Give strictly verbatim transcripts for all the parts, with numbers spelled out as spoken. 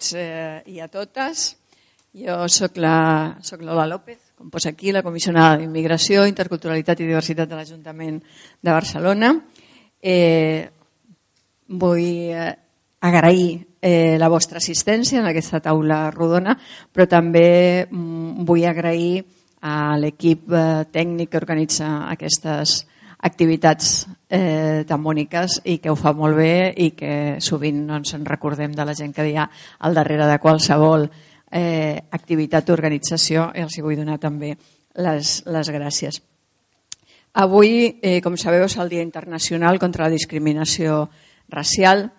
tots eh, i a totes. Jo soc la, soc Lola López, com posa aquí, la comissionada d'Immigració, Interculturalitat i Diversitat de l'Ajuntament de Barcelona. Eh, vull eh, agrair eh, la vostra assistència en aquesta taula rodona, però també mm, vull agrair a l'equip eh, tècnic que organitza aquestes activitats eh, tan boniques i que ho fa molt bé i que sovint no ens en recordem de la gent que hi ha al darrere de qualsevol eh, activitat o organització, i els hi vull donar també les, les gràcies. Avui, eh, com sabeu, és el Dia Internacional contra la Discriminació Racial.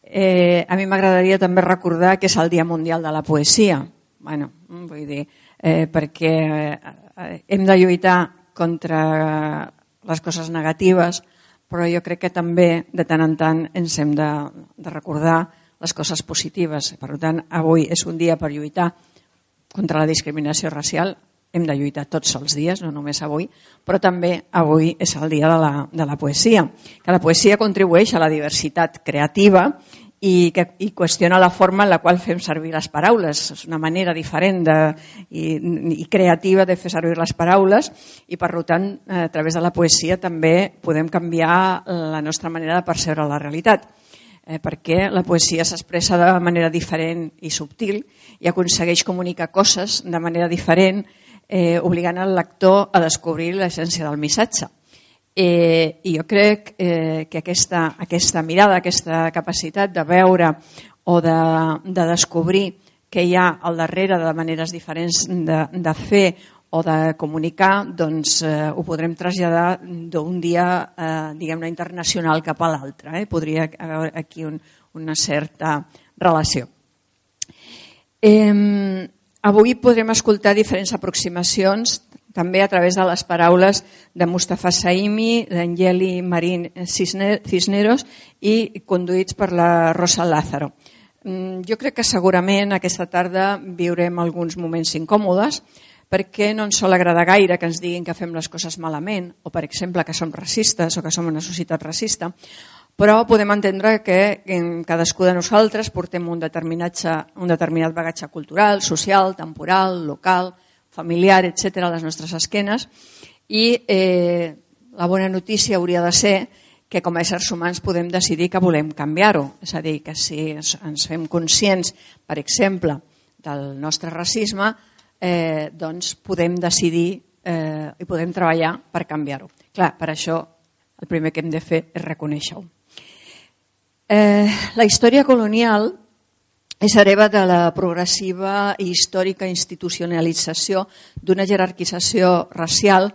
Eh, a mi m'agradaria també recordar que és el Dia Mundial de la Poesia. Bueno, vull dir, eh, perquè eh, hem de lluitar contra les coses negatives, però jo crec que també de tant en tant ens hem de, de recordar les coses positives. Per tant, avui és un dia per lluitar contra la discriminació racial. Hem de lluitar tots els dies, no només avui, però també avui és el dia de la, de la poesia, que la poesia contribueix a la diversitat creativa i que i qüestiona la forma en la qual fem servir les paraules. És una manera diferent de, i, i creativa de fer servir les paraules i, per tant, a través de la poesia també podem canviar la nostra manera de percebre la realitat, eh, perquè la poesia s'expressa de manera diferent i subtil i aconsegueix comunicar coses de manera diferent, eh, obligant el lector a descobrir l'essència del missatge. Eh, I jo crec eh, que aquesta, aquesta mirada, aquesta capacitat de veure o de, de descobrir què hi ha al darrere de maneres diferents de, de fer o de comunicar, doncs eh, ho podrem traslladar d'un dia eh, diguem-ne internacional cap a l'altre. Eh? Podria haver aquí un, una certa relació. Eh, avui podrem escoltar diferents aproximacions també a través de les paraules de Mustafa Saimi, d'Angeli Marín Cisneros i conduïts per la Rosa Lázaro. Jo crec que segurament aquesta tarda viurem alguns moments incòmodes perquè no ens sol agradar gaire que ens diguin que fem les coses malament o, per exemple, que som racistes o que som una societat racista, però podem entendre que cadascú de nosaltres portem un determinat, un determinat bagatge cultural, social, temporal, local, familiar, etcètera, a les nostres esquenes i eh, la bona notícia hauria de ser que com a éssers humans podem decidir que volem canviar-ho. És a dir, que si ens fem conscients, per exemple, del nostre racisme, eh, doncs podem decidir eh, i podem treballar per canviar-ho. Clar, per això el primer que hem de fer és reconèixer-ho. Eh, la història colonial és hereva de la progressiva i històrica institucionalització d'una jerarquització racial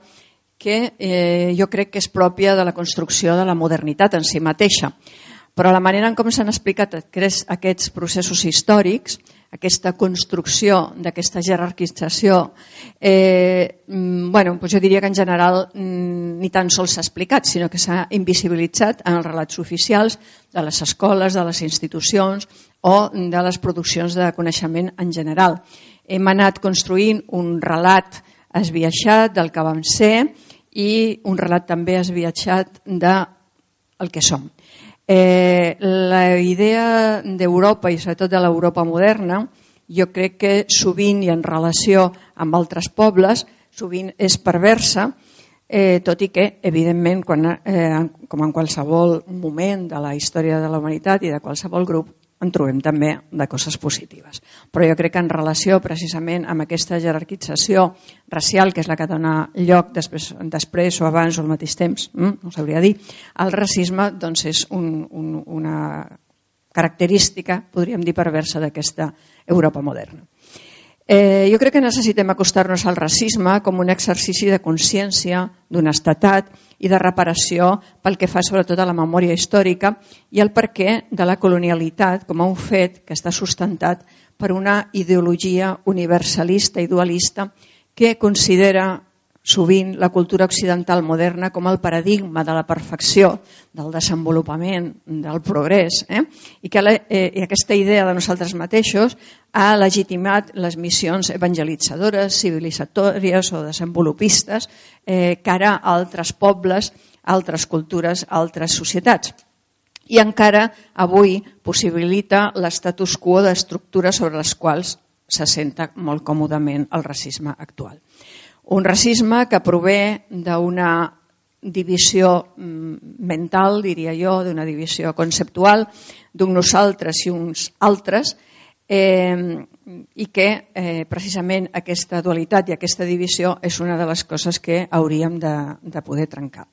que eh, jo crec que és pròpia de la construcció de la modernitat en si mateixa. Però la manera en com s'han explicat aquests processos històrics, aquesta construcció d'aquesta jerarquització, eh, bueno, doncs jo diria que en general ni tan sols s'ha explicat, sinó que s'ha invisibilitzat en els relats oficials de les escoles, de les institucions o de les produccions de coneixement en general. Hem anat construint un relat esbiaixat del que vam ser i un relat també esbiaixat del que som. Eh, la idea d'Europa i sobretot de l'Europa moderna jo crec que sovint i en relació amb altres pobles sovint és perversa, eh, tot i que evidentment quan, eh, com en qualsevol moment de la història de la humanitat i de qualsevol grup en trobem també de coses positives. Però jo crec que en relació precisament amb aquesta jerarquització racial, que és la que dona lloc després, després o abans o al mateix temps, no sabria dir, el racisme doncs és un, un, una característica, podríem dir, perversa d'aquesta Europa moderna. Eh, jo crec que necessitem acostar-nos al racisme com un exercici de consciència, d'honestedat i de reparació pel que fa sobretot a la memòria històrica i el perquè de la colonialitat com a un fet que està sustentat per una ideologia universalista i dualista que considera sovint la cultura occidental moderna com el paradigma de la perfecció, del desenvolupament, del progrés, eh? I que la, eh, i aquesta idea de nosaltres mateixos ha legitimat les missions evangelitzadores, civilitzatòries o desenvolupistes eh, cara a altres pobles, altres cultures, altres societats. i encara avui possibilita l'estatus quo d'estructures sobre les quals s'assenta molt còmodament el racisme actual. Un racisme que prové d'una divisió mental, diria jo, d'una divisió conceptual, d'un nosaltres i uns altres, eh, i que eh, precisament aquesta dualitat i aquesta divisió és una de les coses que hauríem de, de poder trencar.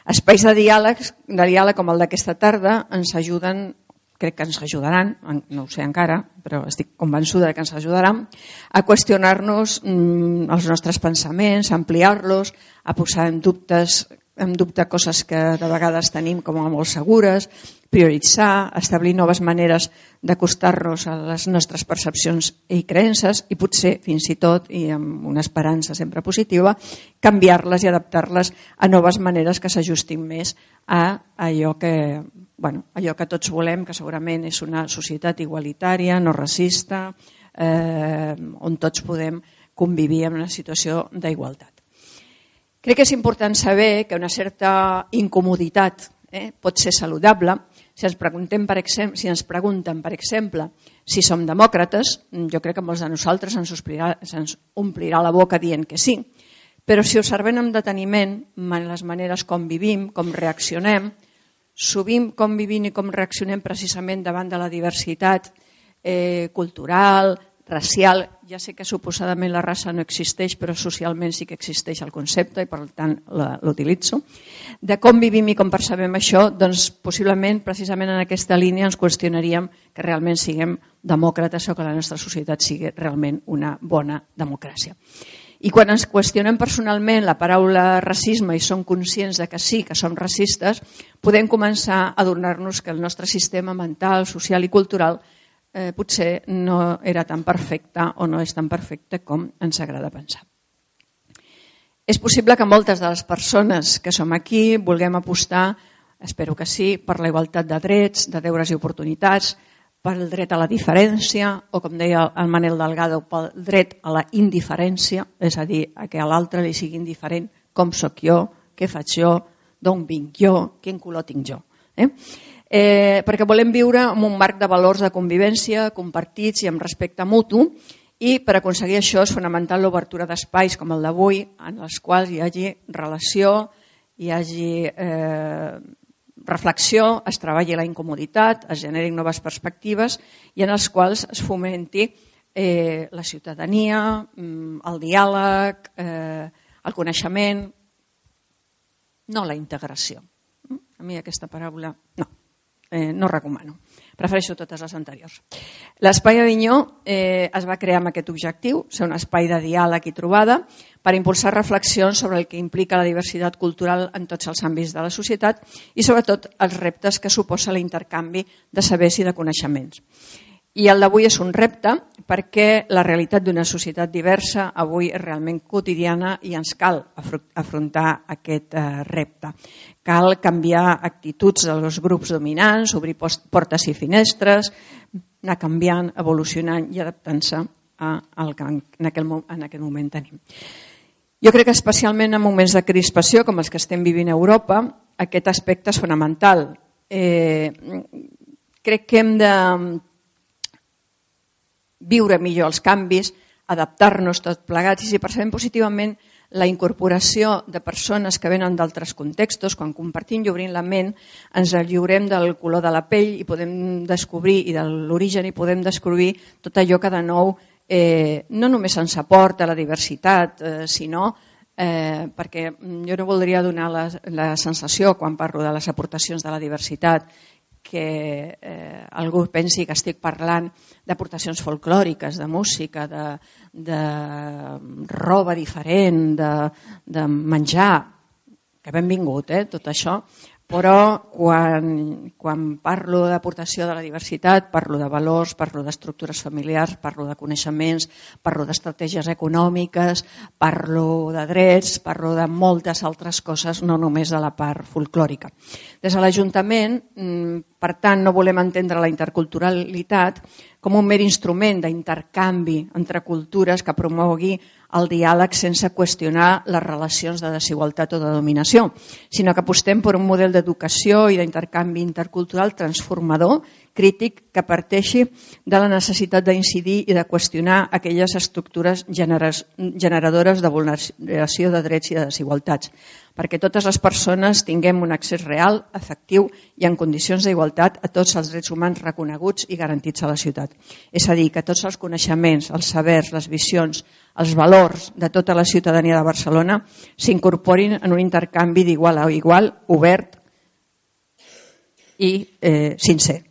Espais de diàleg, de diàleg com el d'aquesta tarda ens ajuden, crec que ens ajudaran, no ho sé encara, però estic convençuda que ens ajudaran, a qüestionar-nos mm, els nostres pensaments, a ampliar-los, a posar en dubtes en dubte coses que de vegades tenim com a molt segures, prioritzar, establir noves maneres d'acostar-nos a les nostres percepcions i creences i potser, fins i tot, i amb una esperança sempre positiva, canviar-les i adaptar-les a noves maneres que s'ajustin més a allò que, bueno, allò que tots volem, que segurament és una societat igualitària, no racista, eh, on tots podem convivir en una situació d'igualtat. Crec que és important saber que una certa incomoditat eh, pot ser saludable. Si ens, preguntem, per exemple, si ens pregunten, per exemple, si som demòcrates, jo crec que molts de nosaltres ens omplirà, ens omplirà la boca dient que sí, però si observem amb deteniment les maneres com vivim, com reaccionem, sovint com vivim i com reaccionem precisament davant de la diversitat eh, cultural, racial, ja sé que suposadament la raça no existeix, però socialment sí que existeix el concepte i per tant l'utilitzo. De com vivim i com percebem això, doncs possiblement precisament en aquesta línia ens qüestionaríem que realment siguem demòcrates o que la nostra societat sigui realment una bona democràcia. I quan ens qüestionem personalment la paraula racisme i som conscients de que sí, que som racistes, podem començar a adonar-nos que el nostre sistema mental, social i cultural Eh, potser no era tan perfecte o no és tan perfecte com ens agrada pensar. És possible que moltes de les persones que som aquí vulguem apostar, espero que sí, per la igualtat de drets, de deures i oportunitats, pel dret a la diferència o, com deia el Manel Delgado, pel dret a la indiferència, és a dir, a que a l'altre li sigui indiferent com sóc jo, què faig jo, d'on vinc jo, quin color tinc jo. Eh? Eh, perquè volem viure en un marc de valors de convivència compartits i amb respecte mutu, i per aconseguir això és fonamental l'obertura d'espais com el d'avui en els quals hi hagi relació, hi hagi eh, reflexió, es treballi la incomoditat, es generin noves perspectives i en els quals es fomenti eh, la ciutadania, el diàleg, eh, el coneixement, no la integració. A mi aquesta paraula no. Eh, no recomano, prefereixo totes les anteriors. L'Espai Avinyó eh, es va crear amb aquest objectiu, ser un espai de diàleg i trobada per impulsar reflexions sobre el que implica la diversitat cultural en tots els àmbits de la societat i sobretot els reptes que suposa l'intercanvi de sabers i de coneixements. I el d'avui és un repte perquè la realitat d'una societat diversa avui és realment quotidiana i ens cal afrontar aquest repte. Cal canviar actituds dels grups dominants, obrir portes i finestres, anar canviant, evolucionant i adaptant-se al que en aquest moment tenim. Jo crec que especialment en moments de crispació com els que estem vivint a Europa, aquest aspecte és fonamental. Eh, crec que hem de viure millor els canvis, adaptar-nos tot plegats i si percebem positivament la incorporació de persones que venen d'altres contextos, quan compartim i obrim la ment ens lliurem del color de la pell i podem descobrir i de l'origen i podem descobrir tot allò que de nou eh, no només ens aporta la diversitat, eh, sinó eh, perquè jo no voldria donar la, la sensació quan parlo de les aportacions de la diversitat que eh, algú pensi que estic parlant d'aportacions folclòriques, de música, de, de roba diferent, de, de menjar, que benvingut, eh, tot això, però quan, quan parlo d'aportació de la diversitat, parlo de valors, parlo d'estructures familiars, parlo de coneixements, parlo d'estratègies econòmiques, parlo de drets, parlo de moltes altres coses, no només de la part folclòrica. Des de l'Ajuntament Per tant, no volem entendre la interculturalitat com un mer instrument d'intercanvi entre cultures que promogui el diàleg sense qüestionar les relacions de desigualtat o de dominació, sinó que apostem per un model d'educació i d'intercanvi intercultural transformador, crític, que parteixi de la necessitat d'incidir i de qüestionar aquelles estructures generadores de vulneració de drets i de desigualtats, perquè totes les persones tinguem un accés real, efectiu i en condicions d'igualtat a tots els drets humans reconeguts i garantits a la ciutat. És a dir, que tots els coneixements, els sabers, les visions, els valors de tota la ciutadania de Barcelona s'incorporin en un intercanvi d'igual a igual, obert i eh, sincer.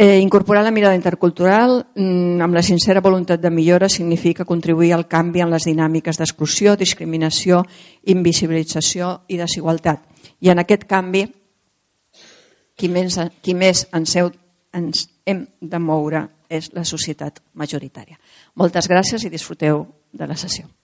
Eh, incorporar la mirada intercultural mm, amb la sincera voluntat de millora significa contribuir al canvi en les dinàmiques d'exclusió, discriminació, invisibilització i desigualtat. I en aquest canvi, qui més, qui més ens, heu, ens hem de moure és la societat majoritària. Moltes gràcies i disfruteu de la sessió.